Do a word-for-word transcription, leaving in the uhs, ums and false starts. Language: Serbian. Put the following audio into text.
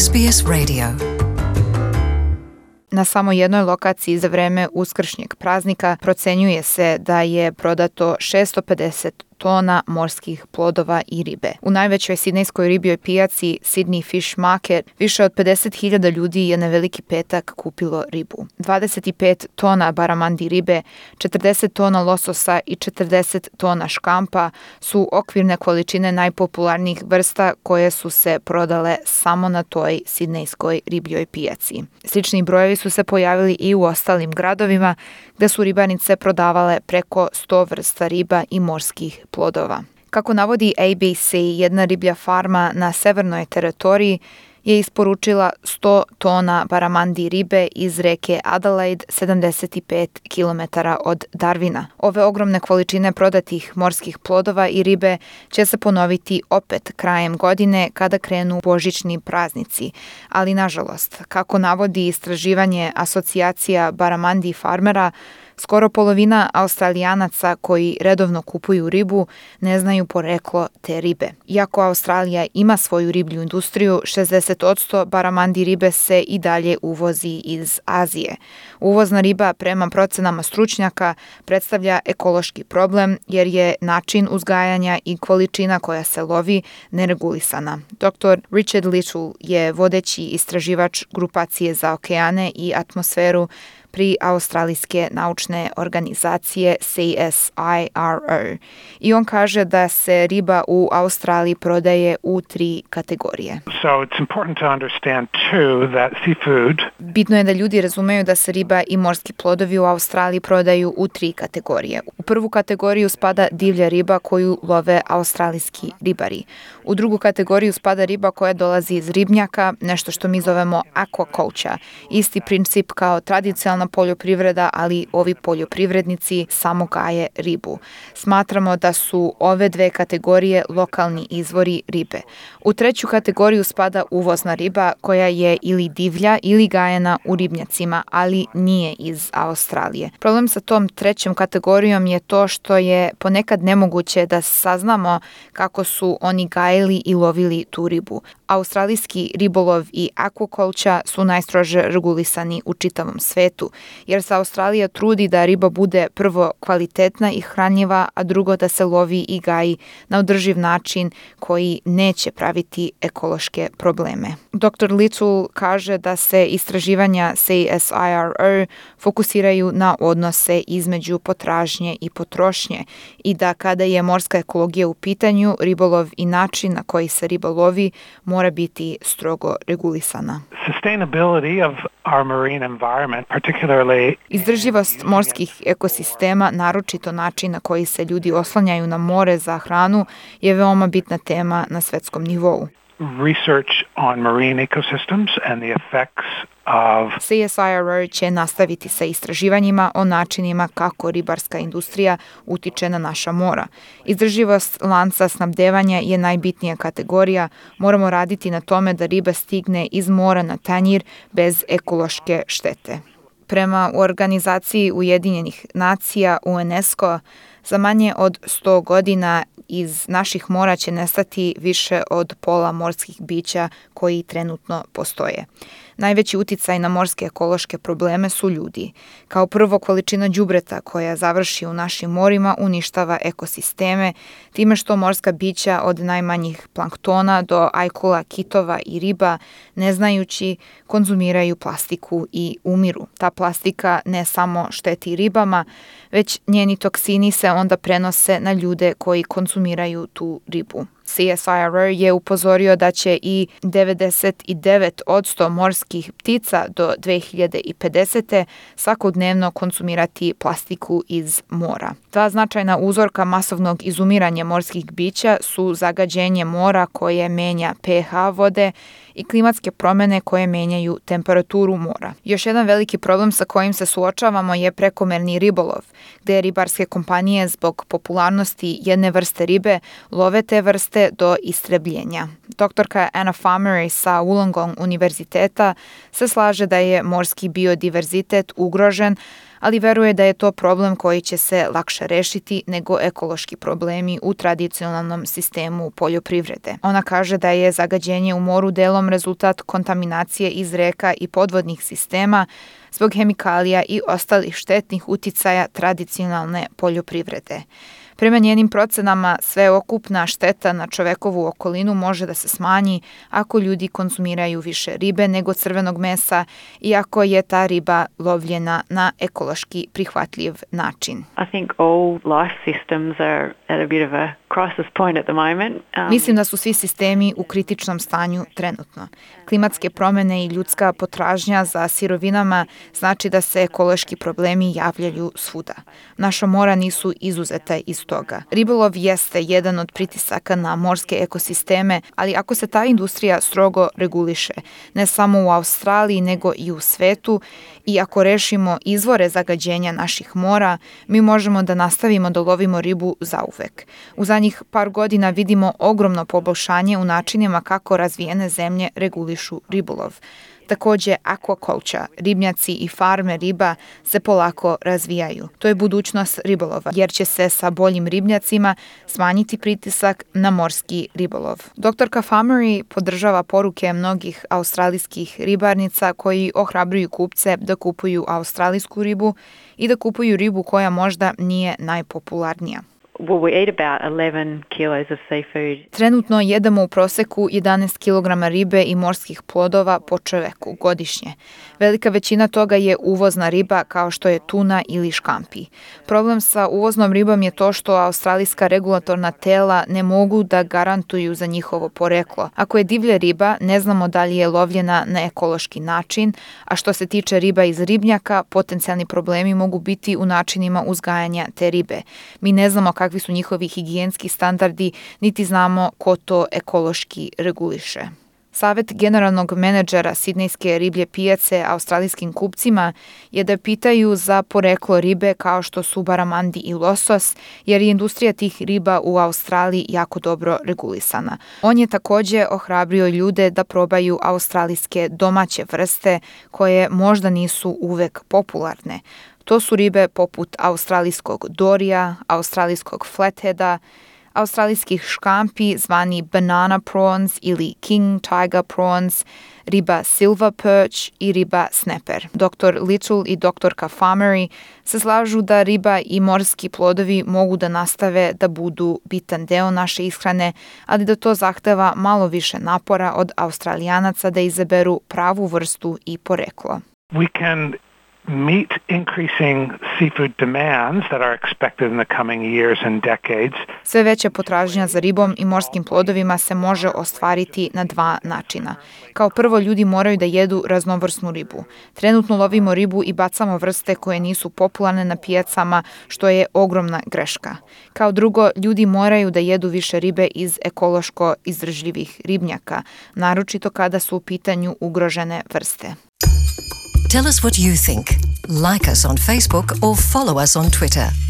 S B S Radio. Na samo jednoj lokaciji za vreme uskršnjeg praznika procenjuje se da je prodato šesto pedeset tona morskih plodova i ribe. U najvećoj sidnejskoj ribljoj pijaci Sydney Fish Market više od pedeset hiljada ljudi je na Veliki petak kupilo ribu. dvadeset pet tona baramandi ribe, četrdeset tona lososa i četrdeset tona škampa su okvirne količine najpopularnijih vrsta koje su se prodale samo na toj sidnejskoj ribljoj pijaci. Slični brojevi su se pojavili i u ostalim gradovima gde su ribanice prodavale preko sto vrsta riba i morskih plodova. Kako navodi A B C, jedna riblja farma na severnoj teritoriji je isporučila sto tona baramandi ribe iz reke Adelaide, sedamdeset pet kilometara od Darwina. Ove ogromne količine prodatih morskih plodova i ribe će se ponoviti opet krajem godine kada krenu božićni praznici. Ali nažalost, kako navodi istraživanje asocijacija baramandi farmera, skoro polovina Australijanaca koji redovno kupuju ribu ne znaju poreklo te ribe. Iako Australija ima svoju riblju industriju, šezdeset posto baramandi ribe se i dalje uvozi iz Azije. Uvozna riba, prema procenama stručnjaka, predstavlja ekološki problem jer je način uzgajanja i količina koja se lovi neregulisana. doktor Richard Little je vodeći istraživač grupacije za okeane i atmosferu pri australijske naučne organizacije C S I R O. I on kaže da se riba u Australiji prodaje u tri kategorije. So it's important to understand too that seafood. Bitno je da ljudi razumeju da se riba i morski plodovi u Australiji prodaju u tri kategorije. U prvu kategoriju spada divlja riba koju love australijski ribari. U drugu kategoriju spada riba koja dolazi iz ribnjaka, nešto što mi zovemo aquaculture. Isti princip kao tradicionalna poljoprivreda, ali ovi poljoprivrednici samo gaje ribu. Smatramo da su ove dve kategorije lokalni izvori ribe. U treću kategoriju spada uvozna riba koja je ili divlja ili gajena u ribnjacima, ali nije iz Australije. Problem sa tom trećom kategorijom je to što je ponekad nemoguće da saznamo kako su oni gajili i lovili tu ribu. Australijski ribolov i aquaculture su najstrože regulisani u čitavom svetu, jer se Australija trudi da riba bude prvo kvalitetna i hranjiva, a drugo da se lovi i gaji na održiv način koji neće praviti ekološke probleme. doktor Little kaže da se istraživanja C S I R O fokusiraju na odnose između potražnje i potrošnje i da kada je morska ekologija u pitanju, ribolov i način na koji se riba lovi mora biti strogo regulisana. Sustainability of our marine environment, particularly Izdrživost morskih ekosistema, naročito način na koji se ljudi oslanjaju na more za hranu, je veoma bitna tema na svetskom nivou. research on marine ecosystems and the effects of C S I R O će nastaviti sa istraživanjima o načinima kako ribarska industrija utiče na naša mora. Izdrživost lanca snabdevanja je najbitnija kategorija. Moramo raditi na tome da riba stigne iz mora na tanjir bez ekološke štete. Prema organizaciji Ujedinjenih nacija UNESCO, za manje od sto godina iz naših mora će nestati više od pola morskih bića koji trenutno postoje. Najveći uticaj na morske ekološke probleme su ljudi. Kao prvo, količina đubreta koja završi u našim morima uništava ekosisteme, time što morska bića od najmanjih planktona do ajkula, kitova i riba, ne znajući, konzumiraju plastiku i umiru. Ta plastika ne samo šteti ribama, već njeni toksini se onda prenose na ljude koji konzumiraju tu ribu. C S I R O je upozorio da će i devedeset devet posto morskih ptica do dve hiljade pedesete. svakodnevno konzumirati plastiku iz mora. Dva značajna uzorka masovnog izumiranja morskih bića su zagađenje mora koje menja pH vode i klimatske promene koje menjaju temperaturu mora. Još jedan veliki problem sa kojim se suočavamo je prekomerni ribolov, gde ribarske kompanije zbog popularnosti jedne vrste ribe love te vrste do istrebljenja. Doktorka Anna Farmery sa Wollongong univerziteta se slaže da je morski biodiverzitet ugrožen, ali veruje da je to problem koji će se lakše rešiti nego ekološki problemi u tradicionalnom sistemu poljoprivrede. Ona kaže da je zagađenje u moru delom rezultat kontaminacije iz reka i podvodnih sistema zbog hemikalija i ostalih štetnih uticaja tradicionalne poljoprivrede. Prema njenim procenama, sveokupna šteta na čovekovu okolinu može da se smanji ako ljudi konzumiraju više ribe nego crvenog mesa i ako je ta riba lovljena na ekološki prihvatljiv način. I think all life systems are at a bit of a crisis point at the moment. Um, Mislim da su svi sistemi u kritičnom stanju trenutno. Klimatske promene i ljudska potražnja za sirovinama znači da se ekološki problemi javljaju svuda. Naša mora nisu izuzeta iz toga. Ribolov jeste jedan od pritisaka na morske ekosisteme, ali ako se ta industrija strogo reguliše, ne samo u Australiji nego i u svetu, i ako rešimo izvore zagađenja naših mora, mi možemo da nastavimo da lovimo ribu zauvek. U zadnjih par godina vidimo ogromno poboljšanje u načinima kako razvijene zemlje regulišu ribolov. Takođe, aquaculture, ribnjaci i farme riba se polako razvijaju. To je budućnost ribolova, jer će se sa boljim ribnjacima smanjiti pritisak na morski ribolov. Doktorka Famery podržava poruke mnogih australijskih ribarnica koji ohrabruju kupce da kupuju australijsku ribu i da kupuju ribu koja možda nije najpopularnija. Well, we eat about eleven kilos of seafood. Trenutno jedemo u proseku jedanaest kilograma ribe i morskih plodova po čoveku godišnje. Velika većina toga je uvozna riba kao što je tuna ili škampi. Problem sa uvoznom ribom je to što australijska regulatorna tela ne mogu da garantuju za njihovo poreklo. Ako je divlja riba, ne znamo da li je lovljena na ekološki način, a što se tiče riba iz ribnjaka, potencijalni problemi mogu biti u načinima uzgajanja te ribe. Mi ne znamo kakvi su njihovi higijenski standardi, niti znamo ko to ekološki reguliše. Savet generalnog menadžera Sidnejske riblje pijace australijskim kupcima je da pitaju za poreklo ribe kao što su baramandi i losos, jer je industrija tih riba u Australiji jako dobro regulisana. On je takođe ohrabrio ljude da probaju australijske domaće vrste koje možda nisu uvek popularne. To su ribe poput australijskog dorija, australijskog flatheada, australijskih škampi zvani banana prawns ili king tiger prawns, riba silver perch i riba snapper. doktor Little i doktorka Famery se slažu da riba i morski plodovi mogu da nastave da budu bitan deo naše ishrane, ali da to zahteva malo više napora od Australijanaca da izaberu pravu vrstu i poreklo. We can meet increasing seafood demands that are expected in the coming years and decades. Sve veća potražnja za ribom i morskim plodovima se može ostvariti na dva načina. Kao prvo, ljudi moraju da jedu raznovrsnu ribu. Trenutno lovimo ribu i bacamo vrste koje nisu popularne na pijacama, što je ogromna greška. Kao drugo, ljudi moraju da jedu više ribe iz ekološko izdržljivih ribnjaka, naročito kada su u pitanju ugrožene vrste. Tell us what you think. Like us on Facebook or follow us on Twitter.